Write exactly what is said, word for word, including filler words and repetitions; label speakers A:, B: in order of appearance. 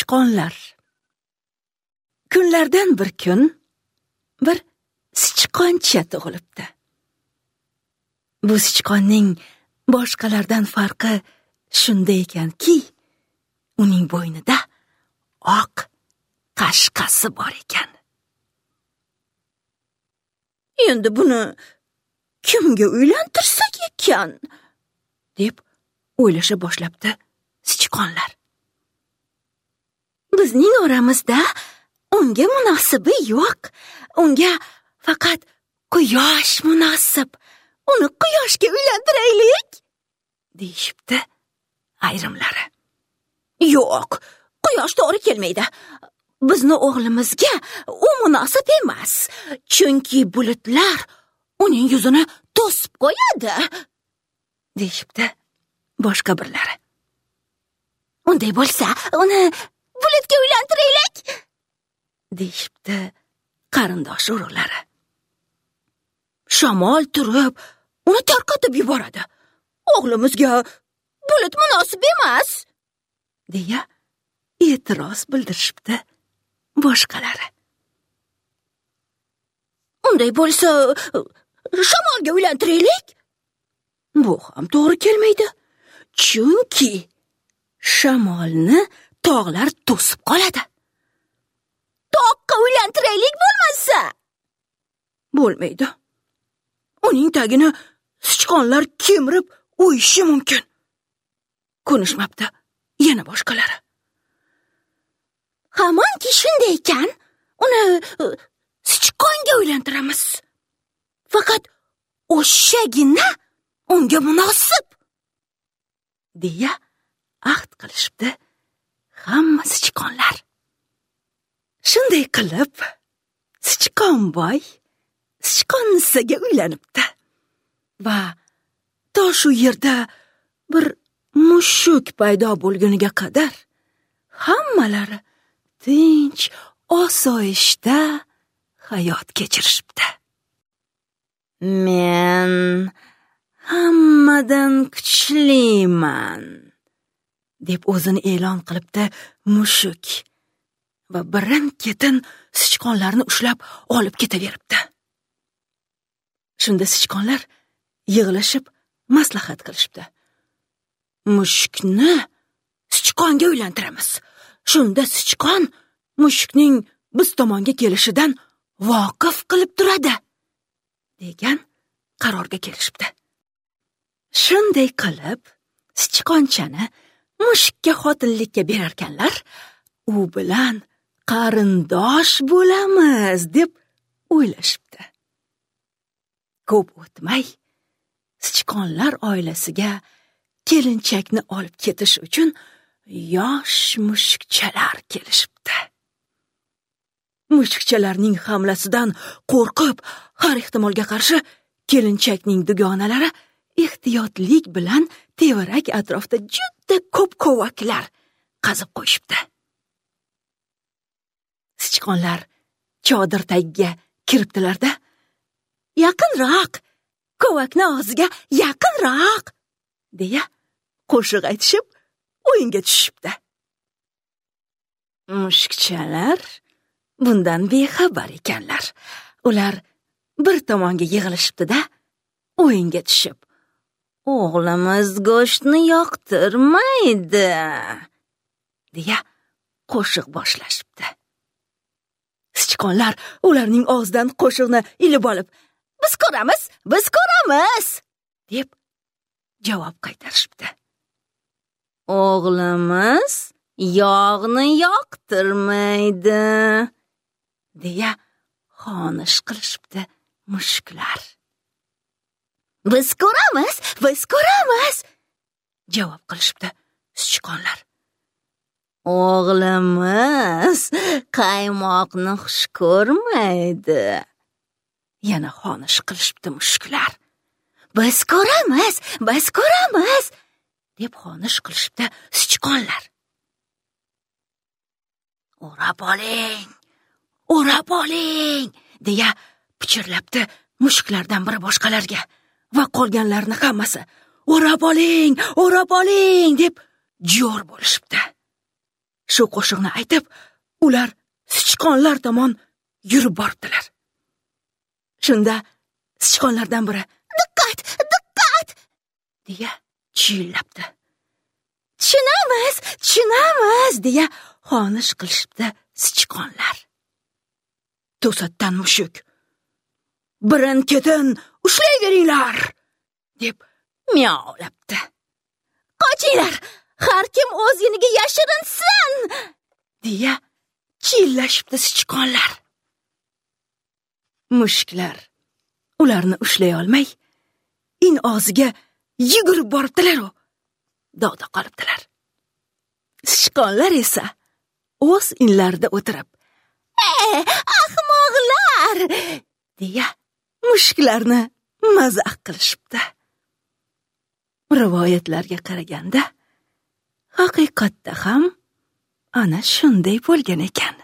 A: Sichqonlar. Kunlardan bir kun bir sichqoncha tug'ilibdi. Bu sichqonning boshqalardan farqi shunda ekanki, uning bo'ynida oq qashqasi bor ekan. Endi buni kimga uylantirsak ekan, deb o'ylasha boshlabdi sichqonlar. Bizning oramizda unga munosibi yo'q. Unga faqat quyosh munosib. Uni quyoshga uylantiraylik, deyishibdi ayrimlari. Yo'q, quyosh to'g'ri kelmaydi. Bizni o'g'limizga u munosib emas, chunki bulutlar uning yuzini to'sib qo'yadi, deyishibdi boshqa birlari. Unday bo'lsa, uni bulutga uylantiraylik, deyishibdi qarindosh urug'lari. Shamol turib, uni tarqatib yuboradi. O'g'limizga bulut munosib emas, deya e'tiroz bildirishibdi boshqalari. Unday bo'lsa, shamolga uylantiraylik. Bu ham to'g'ri kelmaydi, chunki shamolni tog'lar to'sib qoladi. Toqqa uylantiraylik bo'lmasa. Bo'lmaydi. Uning tagini sichqonlar kemirib o'yishi mumkin. Ko'nishmabdi yana boshqalari. Hamonki shunday ekan, uni sichqonga uylantiramiz. Faqat o'shagina unga munosib, deya ahd qilishibdi hamma sichqonlar. Shunday qilib, sichqonboy sichqonnisaga uylanibdi va to shu yerda bir mushuk paydo bo'lguniga qadar hammalari tinch, osoyishta hayot kechirishibdi. Men hammadan kuchliman, deb o'zini e'lon qilibdi mushuk va birin-ketin sichqonlarni ushlab olib ketaveribdi. Shunda sichqonlar yig'ilishib maslahat qilishibdi. Mushukni sichqonga uylantiramiz. Shunda sichqon mushukning biz tomonga kelishidan voqif qilib turadi, degan qarorga kelishibdi. Shunday qilib, sichqonchani mushukka xotinlikka berarkanlar, u bilan qarindosh bo'lamiz deb o'ylashibdi. Ko'p o'tmay, sichqonlar oilasiga kelinchakni olib ketish uchun yosh mushukchalar kelishibdi. Mushukchalarning hamlasidan qo'rqib, har ehtimolga qarshi kelinchakning dugonalari ehtiyotlik bilan tevarak atrofda juda ko'p kovaklar qazib qo'yishibdi. Sichqonlar chodir tagiga kiribdilar-da, yaqinroq, kovakni og'ziga yaqinroq, deya qo'shiq aytishib o'yinga tushibdi. Mushukchalar bundan bexabar ekanlar. Ular bir tomonga yig'ilishibdi-da, o'yinga tushib, o'g'limiz go'shtni yoqtirmaydi, deya qo'shiq boshlashibdi. Sichqonlar ularning og'zidan qo'shiqni ilib olib, biz ko'ramiz, biz ko'ramiz, deb javob qaytarishibdi. O'g'limiz yog'ni yoqtirmaydi, deya xonish qilishibdi mushuklar. Biz ko'ramiz, biz ko'ramiz, javob qilishibdi sichqonlar. O'g'limiz qaymoqni xush ko'rmaydi, yana xonish qilishibdi mushuklar. Biz ko'ramiz, biz ko'ramiz, deb xonish qilishibdi sichqonlar. O'rab oling, o'rab oling, deya pichirlabdi mushuklardan biri boshqalarga va qolganlarni hammasi o'rab oling, o'rab oling deb jo'r bo'lishibdi. Shu qo'shiqni aytib, ular sichqonlar tomon yurib boribdilar. Shunda sichqonlardan biri
B: "Diqqat, diqqat!"
A: deya chiyillabdi. "Tushunamiz, tushunamiz" deya xonish qilishibdi sichqonlar. To'satdan mushuk "Birin-ketin ushlayveringlar" deb miyovlabdi.
B: "Qochinglar, har kim o'z iniga yashirinsin"
A: deya chiyillashibdi sichqonlar. Mushuklar ularni ushlay olmay, in og'ziga yugurib boribdilar-u, dog'da qolibdilar. Sichqonlar esa o'z inlarida o'tirib,
B: "Ey, ahmoqlar!"
A: deya mushuklarni mazaq qilishibdi. Rivoyatlarga qaraganda, haqiqatda ham ana shunday bo'lgan ekan.